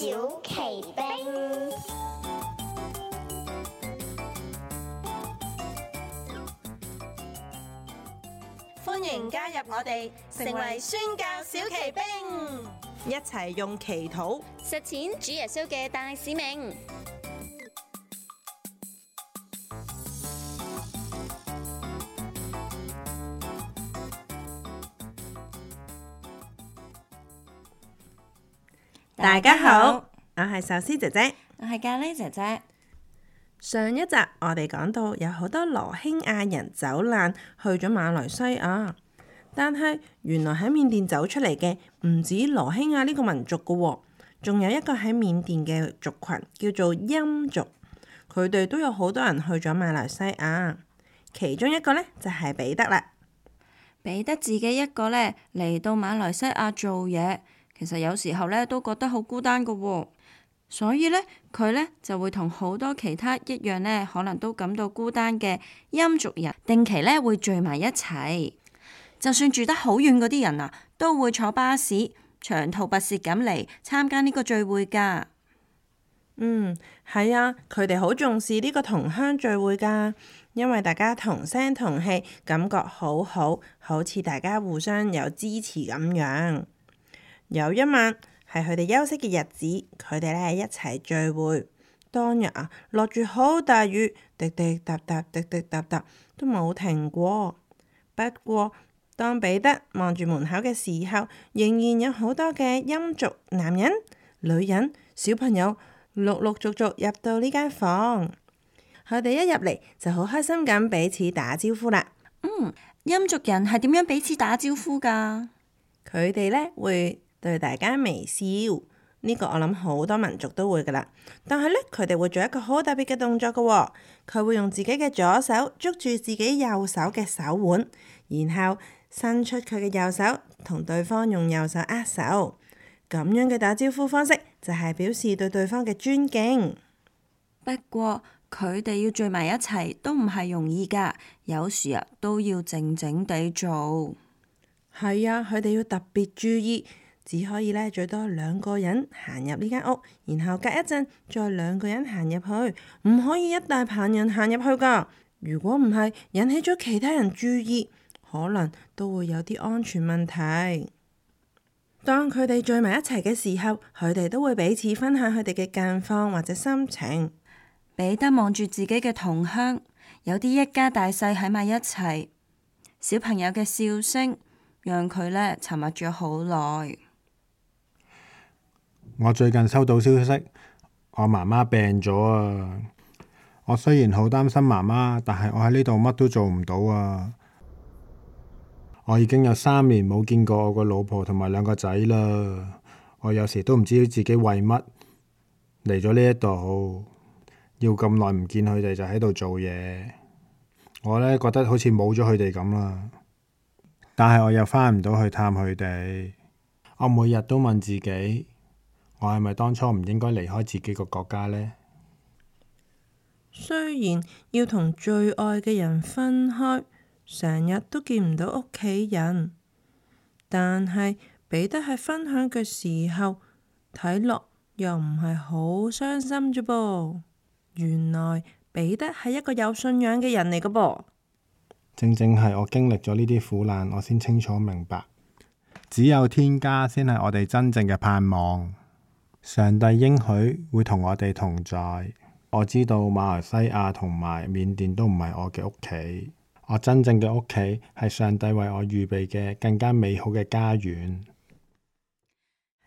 小奇兵。歡迎加入我哋，成為宣教小奇兵，一齊用祈禱實踐主耶穌嘅大使命。大家好，我係壽司姐姐，我係咖喱姐姐。上一集我哋講到有好多羅興亞人走難去咗馬來西亞，但係原來喺緬甸走出嚟嘅唔止羅興亞呢個民族㗎喎，仲有一個喺緬甸嘅族群叫做欽族，佢哋都有好多人去咗馬來西亞，其中一個呢，就係彼得啦。彼得自己一個呢嚟到馬來西亞做嘢，其實有時候呢都覺得好孤單㗎喎。所以呢，佢呢就會同好多其他一樣呢，可能都感到孤單嘅欽族人，定期呢會聚埋一齊。就算住得好遠嗰啲人啊，都會坐巴士長途跋涉咁嚟參加呢個聚會㗎。係啊，佢哋好重視呢個同鄉聚會㗎，因為大家同聲同氣，感覺好好，好似大家互相有支持咁樣。有一晚係佢哋休息嘅日子，佢哋咧一齊聚會。當日啊，落住好大雨，滴滴答答，滴滴答答都冇停過。不過當彼得望住門口嘅時候，仍然有好多嘅欽族男人、女人、小朋友陸陸續續入到呢間房。佢哋一入嚟就好開心咁彼此打招呼啦。欽族人係點樣彼此打招呼㗎？佢哋呢會對大家微笑，呢個我諗好多民族都會噶啦。但係呢，佢哋會做一個好特別嘅動作嘅喎，佢會用自己嘅左手捉住自己右手嘅手腕，然後伸出佢嘅右手同對方用右手握手。咁樣嘅打招呼方式就係表示對對方嘅尊敬。不過佢哋要聚埋一齊都唔係容易㗎，有時啊都要靜靜地做。係啊，佢哋要特別注意，只可以呢最多2個人行入呢間屋，然後隔一陣再2個人行入去，唔可以一大棚人行入去㗎。如果唔係，引起咗其他人注意，可能都會有啲安全問題。當佢哋聚埋一齊嘅時候，佢哋都會彼此分享佢哋嘅近況或者心情。彼得望住自己嘅同鄉，有啲一家大細喺埋一齊，小朋友嘅笑聲讓佢呢沉默咗好耐。我最近收到消息，我媽媽病咗啊！我雖然好擔心媽媽，但係我喺呢度乜都做唔到啊！我已經有3年冇見過我個老婆同埋2個仔啦。我有時都唔知自己為乜嚟咗呢一度，要咁耐唔見佢哋就喺度做嘢。我呢覺得好似冇咗佢哋咁啦，但係我又返唔到去探佢哋。我每日都問自己，我係咪當初唔應該離開自己個國家呢？雖然要同最愛嘅人分開，成日都見唔到屋企人，但係彼得喺分享嘅時候，睇落又唔係好傷心啫噃。原來彼得係一個有信仰嘅人嚟㗎噃。正正係我經歷咗呢啲苦難，我先清楚明白，只有天家先係我哋真正嘅盼望。上帝應許會同我哋同在。我知道馬來西亞同埋緬甸都唔係我嘅屋企，我真正嘅屋企係上帝為我預備嘅更加美好嘅家園。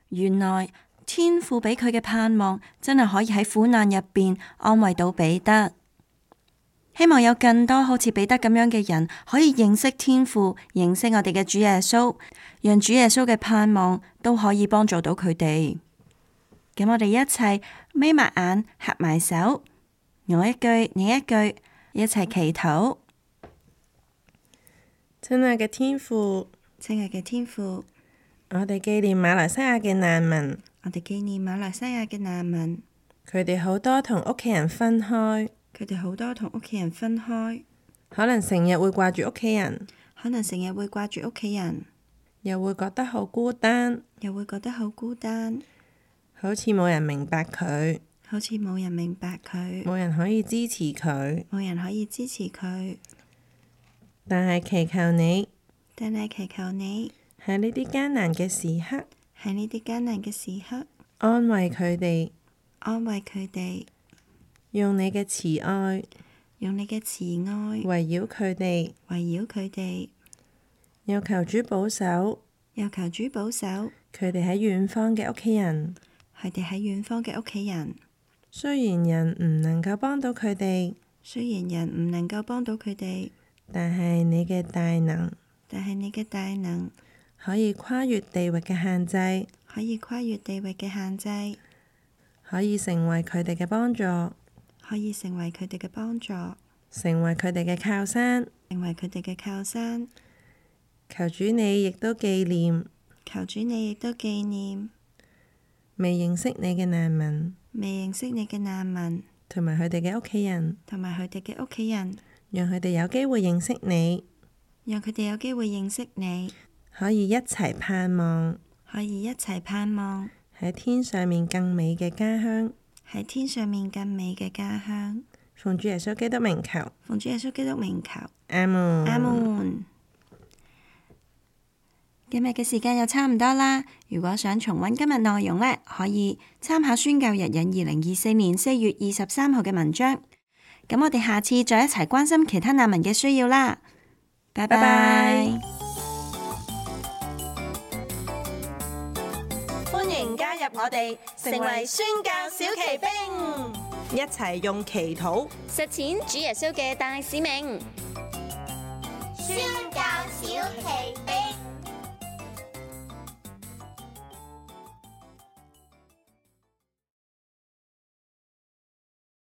原來天父俾佢嘅盼望真係可以喺苦難入邊安慰到彼得。希望有更多好似彼得咁樣嘅人可以認識天父，認識我哋嘅主耶穌，讓主耶穌嘅盼望都可以幫助到佢哋。咁我哋一齊眯埋眼，合埋手，我一句你一句，一齊祈禱。親愛嘅天父，親愛嘅天父，我哋紀念馬來西亞嘅難民，我哋紀念馬來西亞嘅難民，佢哋好多同屋企人分開，佢哋好多同屋企人分開，可能成日會掛住屋企人，可能成日會掛住屋企人，又會覺得好孤單，又會覺得好孤單。好似冇人明白佢，好似冇人明白佢，冇人可以支持佢。冇人可以支持佢。但係祈求你喺呢啲艱難嘅時刻，安慰佢哋，用你嘅慈愛圍繞佢哋，又求主保守佢哋喺遠方嘅屋企人。雖然人唔能夠幫到佢哋，但係你嘅大能可以跨越地域嘅限制，可以成為佢哋嘅幫助，成為佢哋嘅靠山。求主你亦都紀念未認識你嘅難民，同埋佢哋嘅屋企人，讓佢哋有機會認識你，可以一齊盼望喺天上面更美嘅家鄉。奉主耶穌基督名求，阿門。今日嘅時間又差唔多啦，如果想重溫今日內容呢，可以參考宣教日引2024年4月23號嘅文章。咁我哋下次再一齊關心其他難民嘅需要啦。拜拜。歡迎加入我哋，成為宣教小騎兵，一齊用祈禱實踐主耶穌嘅大使命。宣教小奇